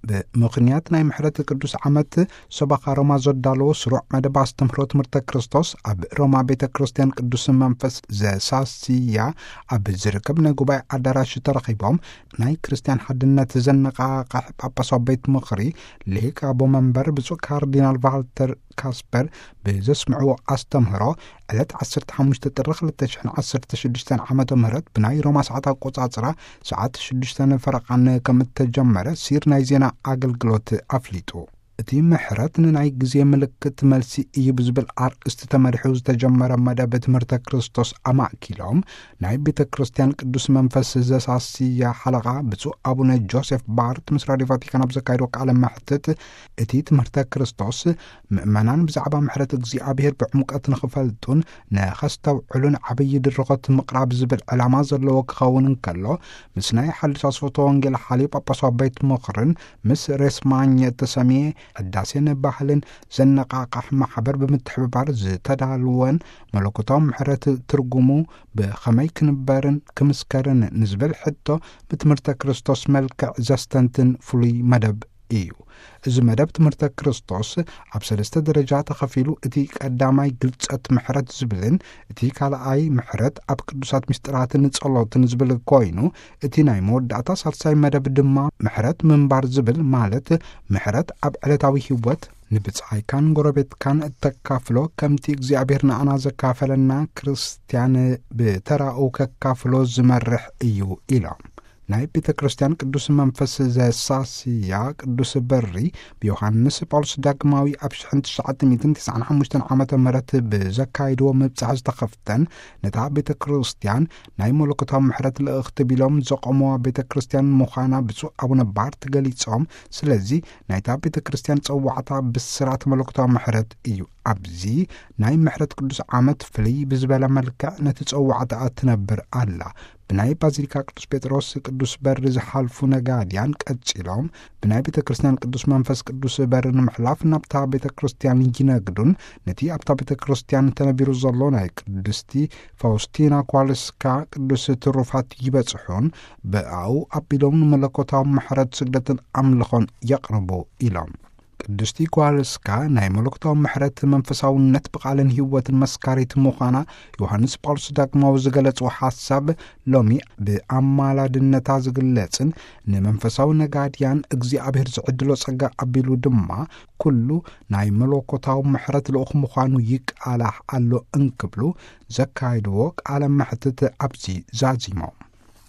ብምኽንያት ናይ ምሕረት ቅዱስ ዓመት ሰበኻ ሮማ ዘዳለዎ ስሩዕ መደብ ኣስተምህሮ ትምህርተ ክርስቶስ ኣብ ሮማ ቤተ ክርስቲያን ቅዱስ መንፈስ ዘሳስያ ኣብ ዝርከብ ናይ ጉባኤ ኣዳራሽ ተረኺቦም፣ ናይ ክርስቲያን ሓድነት ዘነቓቕሕ ጳጳሳዊ ቤት ምኽሪ ሊቀ ኣቦ መንበር ብፁዕ ካርዲናል ቫልተር ካስፐር ብዘስምዕዎ ኣስተምህሮ፣ ዕለት ዓሰርተ ሓሙሽተ ጥሪ ክልተ ሽሕን ዓሰርተ ሽዱሽተን ዓመተ ምህረት ብናይ ሮማ ሰዓት ኣቆጻጽራ ሰዓት ሽዱሽተ ፈረቓን ከም እተጀመረ ሲር ናይ ዜና ኣገልግሎት ኣፍሊጡ። እቲ ምሕረት ንናይ ግዜ ምልክት መልሲ እዩ ብዝብል ኣርእስቲ ተመሪሑ ዝተጀመረ መደብ ትምህርተ ክርስቶስ ኣማእኪሎም፣ ናይ ቤተ ክርስቲያን ቅዱስ መንፈስ ዘሳስያ ሓለቓ ብፁዕ ኣቡነ ጆሴፍ ባርት ምስ ራዲዮ ቫቲካን ኣብ ዘካየዶ ቃለ መሕትት፣ እቲ ትምህርተ ክርስቶስ ምእመናን ብዛዕባ ምሕረት እግዚኣብሔር ብዕምቀት ንኽፈልጡን ንኸስተውዕሉን ዓብዪ ድርኾት ምቕራብ ዝብል ዕላማ ዘለዎ ክኸውን እንከሎ፣ ምስ ናይ ሓድሽ ኣስፈቶ ወንጌል ሓልዮ ጳጳሳዊ ቤት ምኽርን ምስ ሬስማኝ እተሰምየ ሕዳሴን ባህልን ዘነቓቕሕ ማሕበር ብምትሕብባር ዝተዳልወን መለኮታዊ ምሕረት ትርጉሙ ብኸመይ ክንበርን ክምስከርን ንዝብል ሕቶ ብትምህርተ ክርስቶስ መልክዕ ዘስተንትን ፍሉይ መደብ እዩ። እዚ መደብ ትምህርተ ክርስቶስ ኣብ ሰለስተ ደረጃ ተኸፊሉ፣ እቲ ቀዳማይ ግልጸት ምሕረት ዝብልን እቲ ካልኣይ ምሕረት ኣብ ቅዱሳት ምስጢራትን ጸሎትን ዝብል ኮይኑ፣ እቲ ናይ መወዳእታ ሳልሳይ መደብ ድማ ምሕረት ምንባር ዝብል፣ ማለት ምሕረት ኣብ ዕለታዊ ህይወት ንብጻይካን ጎረቤትካን እተካፍሎ ከምቲ እግዚኣብሔር ንኣና ዘካፈለና ክርስትያን ብተራኡ ከካፍሎ ዝመርሕ እዩ ኢሎም። ናይ ቤተ ክርስቲያን ቅዱስ መንፈስ ዘሳስያ ቅዱስ በሪ ብዮሃንስ ጳውሎስ ዳግማዊ ኣብ ሽሕን ትሽዓተ ሚእትን ትስዓን ሓሙሽተን ዓመተ ምህረት ብዘካይድዎ ምብጻሕ ዝተኸፍተን ነታ ቤተ ክርስቲያን ናይ መለኮታዊ ምሕረት ልእኽቲ ቢሎም ዘቆምዋ ቤተ ክርስቲያን ምዃና ብፁዕ ኣቡነ ባርት ገሊጾም። ስለዚ ናይታ ቤተ ክርስቲያን ጸዋዕታ ብስራት መለኮታዊ ምሕረት እዩ። ኣብዚ ናይ ምሕረት ቅዱስ ዓመት ፍልይ ብዝበለ መልክዕ ነቲ ጸዋዕታ ትነብር ኣላ። ብናይ ባዚሊካ ቅዱስ ጴጥሮስ ቅዱስ በሪ ዝሓልፉ ነጋድያን ቀጺሎም ብናይ ቤተ ክርስቲያን ቅዱስ መንፈስ ቅዱስ በሪ ንምሕላፍ ናብታ ቤተ ክርስቲያን ይነግዱን ነቲ ኣብታ ቤተ ክርስቲያን ተነቢሩ ዘሎ ናይ ቅድስቲ ፋውስቲና ኳልስካ ቅዱስ ትሩፋት ይበጽሑን ብኣኡ ኣቢሎም ንመለኮታዊ ምሕረት ስግደትን ኣምልኾን የቕርቡ ኢሎም። ቅድስቲ ኳልስካ ናይ መለኮታዊ ምሕረት መንፈሳውነት ብቓልን ህይወትን መስካሪት ምዃና ዮሃንስ ጳውሎስ ዳግማዊ ዝገለጾ ሓሳብ ሎሚ ብኣማላድነታ ዝግለጽን ንመንፈሳዊ ነጋድያን እግዚኣብሔር ዝዕድሎ ጸጋ ኣቢሉ ድማ ኩሉ ናይ መለኮታዊ ምሕረት ልኡኽ ምዃኑ ይቃላሕ ኣሎ እንክብሉ ዘካየድዎ ቃለ መሕትት ኣብዚ ዛዚሞም።